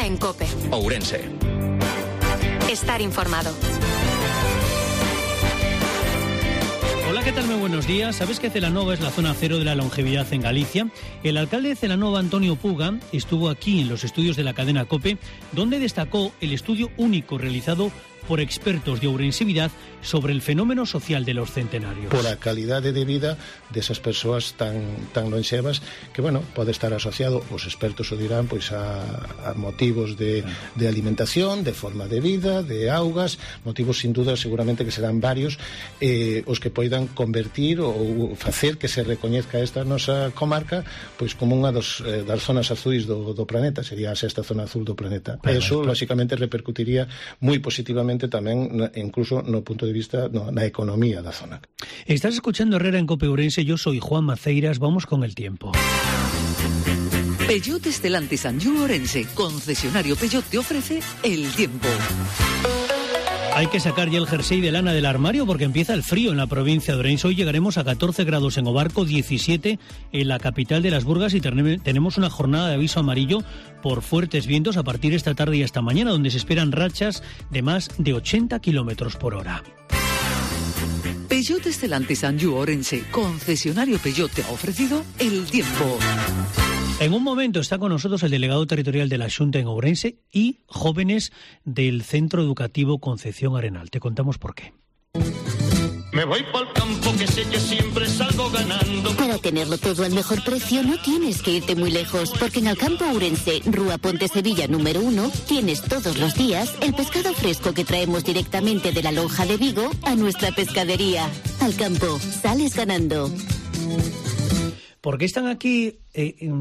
Ahora en COPE. Ourense. Estar informado. Hola, ¿qué tal? Muy buenos días. ¿Sabes que Celanova es la zona cero de la longevidad en Galicia? El alcalde de Celanova, Antonio Puga, estuvo aquí en los estudios de la cadena COPE, donde destacó el estudio único realizado por expertos de Ourensidade sobre el fenómeno social de los centenarios. Por a calidade de vida desas persoas tan lonxevas que, bueno, pode estar asociado, os expertos o dirán, pois a motivos de alimentación, de forma de vida, de augas, motivos sin duda seguramente que serán varios, os que poidan convertir ou facer que se recoñezca esta nosa comarca pois como unha das zonas azuis do planeta, sería a sexta zona azul do planeta. Eso, lóxicamente, repercutiría moi positivamente tamén, incluso no punto de vista na economía da zona. Estás escuchando Herrera en COPE Ourense. Yo soy Juan Maceiras. Vamos con el tiempo. Peugeot Stellantis Anjou Ourense, concesionario Peugeot, te ofrece el tiempo. Hay que sacar ya el jersey de lana del armario porque empieza el frío en la provincia de Ourense. Hoy llegaremos a 14 grados en Obarco, 17 en la capital de las Burgas y tenemos una jornada de aviso amarillo por fuertes vientos a partir de esta tarde y hasta mañana, donde se esperan rachas de más de 80 kilómetros por hora. Peugeot Stellantis Anjou Ourense, concesionario Peugeot, te ha ofrecido el tiempo. En un momento está con nosotros el delegado territorial de la Xunta en Ourense y jóvenes del Centro Educativo Concepción Arenal. Te contamos por qué. Me voy pa'l campo que sé que siempre salgo ganando. Para tenerlo todo al mejor precio no tienes que irte muy lejos, porque en Alcampo Ourense, Rúa Ponte Sevilla número 1, tienes todos los días el pescado fresco que traemos directamente de la lonja de Vigo a nuestra pescadería. Alcampo, sales ganando. ¿Por qué están aquí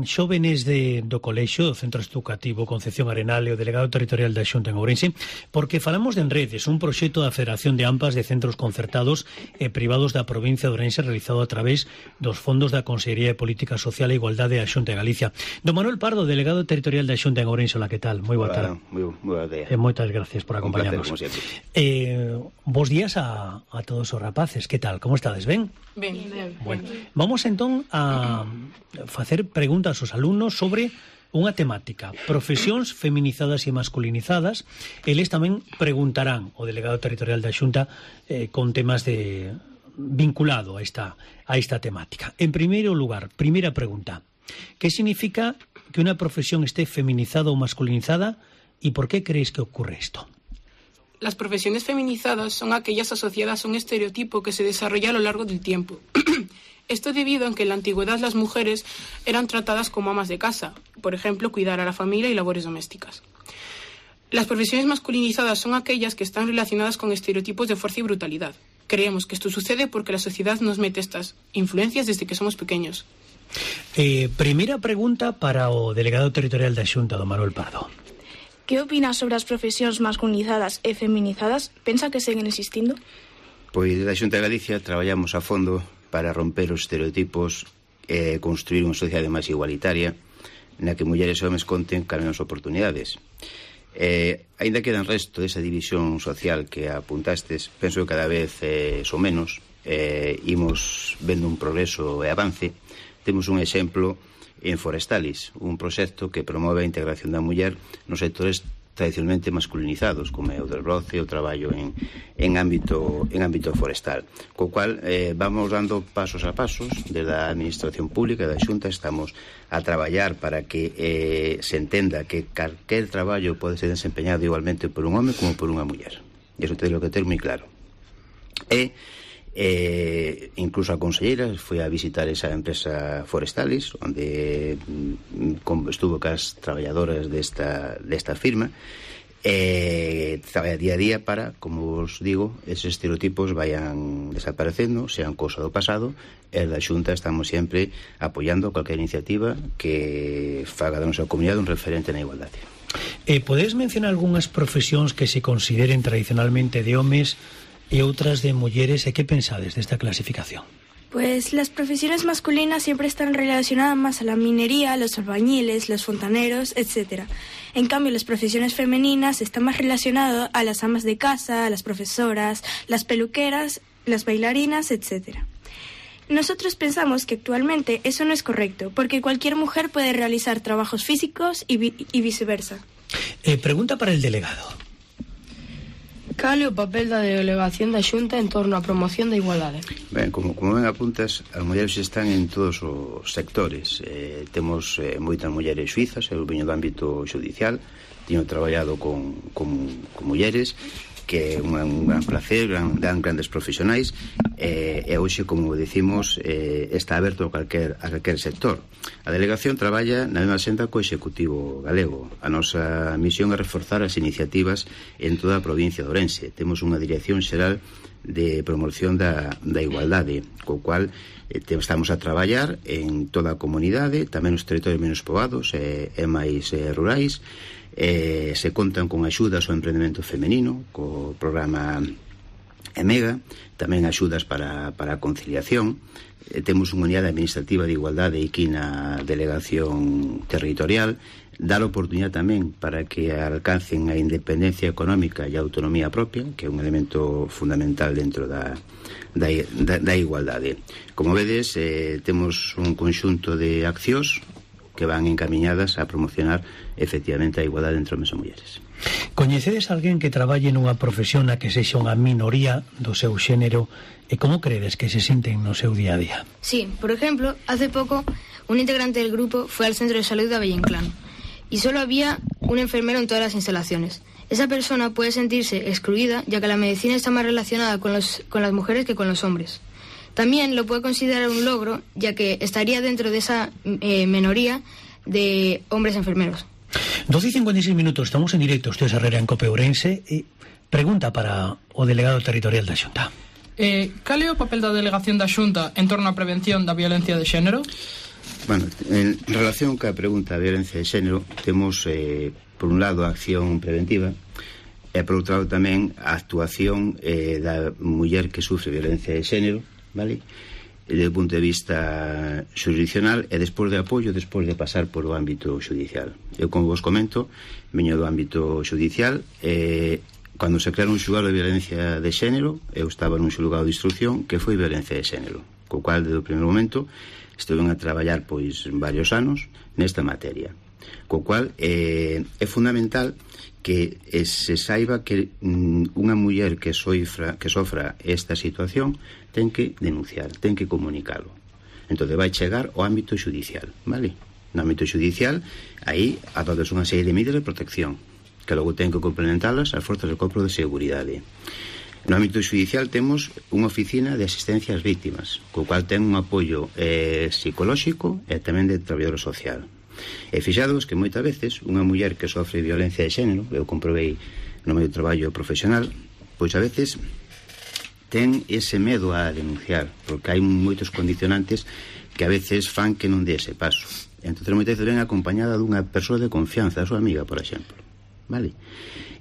xóvenes do colexio, do Centro Educativo Concepción Arenal e o delegado territorial da Xunta en Ourense? Porque falamos de Enredes, un proxecto da Federación de AMPAs de Centros Concertados e Privados da provincia de Ourense realizado a través dos fondos da Consellería de Política Social e Igualdade da Xunta de Galicia. Don Manuel Pardo, delegado territorial da Xunta en Ourense, hola, que tal? Moi boa tarde. Moi boa tarde. Moitas gracias por acompañarnos. Un placer, como sempre. Bos días a todos os rapaces, que tal? Como estades? Ben? Ben. Bueno, vamos entón a facer preguntas aos alumnos sobre unha temática, profesións feminizadas e masculinizadas. Eles tamén preguntarán o delegado territorial da Xunta con temas vinculado a esta temática. En primeiro lugar, primeira pregunta, ¿qué significa que unha profesión esté feminizada ou masculinizada y por qué creéis que ocurre esto? Las profesiones feminizadas son aquellas asociadas a un estereotipo que se desarrolla a lo largo del tiempo. Esto debido a que en la antigüedad las mujeres eran tratadas como amas de casa, por ejemplo, cuidar a la familia y labores domésticas. Las profesiones masculinizadas son aquellas que están relacionadas con estereotipos de fuerza y brutalidad. Creemos que esto sucede porque la sociedad nos mete estas influencias desde que somos pequeños. Primeira pregunta para o delegado territorial da Xunta, don Manuel Pardo. ¿Qué opinas sobre as profesións masculinizadas e feminizadas? Pensa que seguen existindo? Pois da Xunta de Galicia traballamos a fondo para romper os estereotipos e construir unha sociedade máis igualitaria na que mulleres e homes conten con as mesmas oportunidades. Ainda queda en resto desa división social que apuntastes, penso que cada vez son menos, imos vendo un progreso e avance. Temos un exemplo en Forestalis, un proxecto que promove a integración da muller nos sectores tradicionalmente masculinizados, como é o del roce, o traballo en ámbito forestal, co cual vamos dando pasos a pasos desde a administración pública da Xunta. Estamos a traballar para que se entenda que calquer traballo pode ser desempeñado igualmente por un home como por unha muller, e iso teño que ter moi claro. Incluso a conselleira foi a visitar esa empresa Forestalis, onde estuvo cas traballadoras desta firma, traballa día a día para, como os digo, esos estereotipos vayan desaparecendo, sean cousa do pasado, e da Xunta estamos sempre apoiando cualquier iniciativa que faga da nosa comunidade un referente na igualdade. Podes mencionar algunhas profesións que se consideren tradicionalmente de homes y otras de mujeres? ¿Qué pensades de esta clasificación? Pues las profesiones masculinas siempre están relacionadas más a la minería, los albañiles, los fontaneros, etc. En cambio, las profesiones femeninas están más relacionadas a las amas de casa, a las profesoras, las peluqueras, las bailarinas, etc. Nosotros pensamos que actualmente eso no es correcto, porque cualquier mujer puede realizar trabajos físicos y viceversa. Pregunta para el delegado. Cal é o papel da delegación da Xunta en torno á promoción da igualdade? Ben, como ben apuntas, as mulleres están en todos os sectores. Temos moitas mulleres suizas, eu veño do ámbito judicial, teño traballado con mulleres, que é un gran placer, dan grandes profesionais, e hoxe, como decimos, está aberto a calquer sector. A delegación traballa na mesma senda co Executivo galego. A nosa misión é reforzar as iniciativas en toda a provincia de Ourense. Temos unha dirección xeral de promoción da igualdade, co cual estamos a traballar en toda a comunidade, tamén nos territorios menos poboados e máis rurais. Se contan con axudas ao emprendemento femenino, co programa EMEGA, tamén axudas para a conciliación. Temos unha unidade administrativa de igualdade aquí na delegación territorial, dar oportunidade tamén para que alcancen a independencia económica e a autonomía propia, que é un elemento fundamental dentro da igualdade. Como vedes, temos un conxunto de accións que van encamiñadas a promocionar efectivamente a igualdade entre homens e mulleres. Coñecedes alguén que traballe nunha profesión na que sexa unha minoría do seu xénero e como credes que se sinten no seu día a día? Sí, por ejemplo, hace poco un integrante del grupo fue al centro de salud de Abellinclán y solo había un enfermero en todas las instalaciones. Esa persona puede sentirse excluida ya que la medicina está más relacionada con las mujeres que con los hombres. También lo puede considerar un logro, ya que estaría dentro de esa minoría de hombres enfermeros. 12:56 minutos, estamos en directo, ustedes Herrera en Cope Ourense. Pregunta para o delegado territorial da Xunta. Cal é o papel da delegación da Xunta en torno á prevención da violencia de xénero? Bueno, en relación ca pregunta da violencia de xénero, temos, por un lado, a acción preventiva, e por outro lado tamén a actuación da muller que sufre violencia de xénero, vale? Desde o punto de vista jurisdiccional e despois de apoio, despois de pasar por o ámbito judicial. Eu, como vos comento, veño do ámbito judicial, cando se crearon un xulgado de violencia de xénero, eu estaba nun xulgado de instrucción que foi violencia de xénero, co cual, desde o primer momento, estuve a traballar pois varios anos nesta materia, co cual é fundamental que se saiba que unha muller que sofra esta situación ten que denunciar, ten que comunicalo. Entón vai chegar ao ámbito judicial, vale? No ámbito judicial, aí adoptas unha serie de medidas de protección que logo ten que complementalas as forzas do corpo de seguridade. No ámbito judicial temos unha oficina de asistencia ás víctimas, co cual ten un apoio psicolóxico e tamén de traballador social. E fixados que moitas veces unha muller que sofre violencia de xénero, eu comprobei no meu traballo profesional, pois a veces ten ese medo a denunciar, porque hai moitos condicionantes que a veces fan que non dé ese paso. Entón moitas veces ven acompañada dunha persoa de confianza, a súa amiga, por exemplo, vale?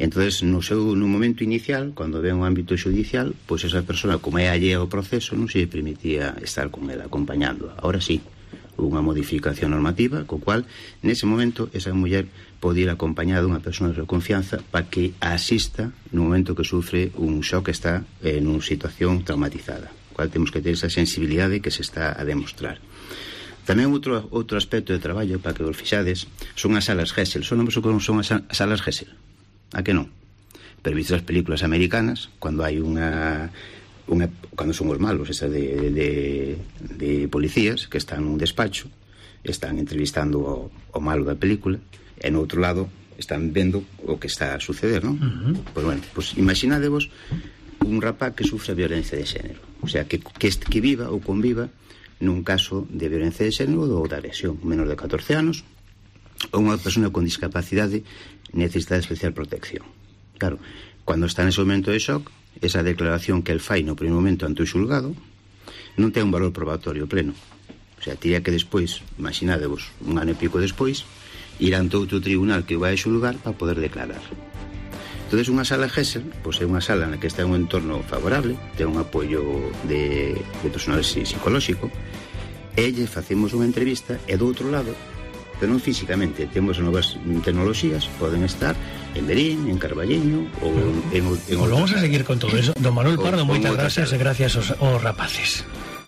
Entón, nun momento inicial, cando ven un ámbito judicial, pois esa persoa, como é allea ao proceso, non se permitía estar con ela, acompañándoa. Ahora sí, unha modificación normativa, co cual, nese momento, esa muller pode ir acompañada dunha persona de confianza para que a asista no momento que sufre un shock que está nunha situación traumatizada. Cual temos que ter esa sensibilidade que se está a demostrar. Tamén outro aspecto de traballo, para que vos fixades, son as salas Gesell. Son as salas Gesell? A que non? Pero vistes as películas americanas, cando hai cando son os malos, esas de policías que están nun despacho, están entrevistando o malo da película, e no outro lado están vendo o que está a suceder, non? Pois bueno, pues imaginadevos un rapaz que sufre violencia de xénero, o sea, que viva ou conviva nun caso de violencia de xénero ou da lesión, menor de 14 anos, ou unha persona con discapacidade necesita de especial protección. Claro, cando está nese momento de shock, esa declaración que el fai no primeiro momento ante o xulgado non ten un valor probatorio pleno. O sea, tiría que despois, imaginadevos, un ano e pico despois, ir ante outro tribunal que o vai a xulgar para poder declarar. Entón, unha sala Gesell, pois é unha sala na que está un entorno favorable, ten un apoio de personal psicolóxico, e lle facemos unha entrevista, e do outro lado, pero non físicamente, temos novas tecnoloxías, poden estar en Berín, en Carballiño ou en vamos a seguir con todo eso. Don Manuel Pardo, moitas gracias e gracias aos rapaces.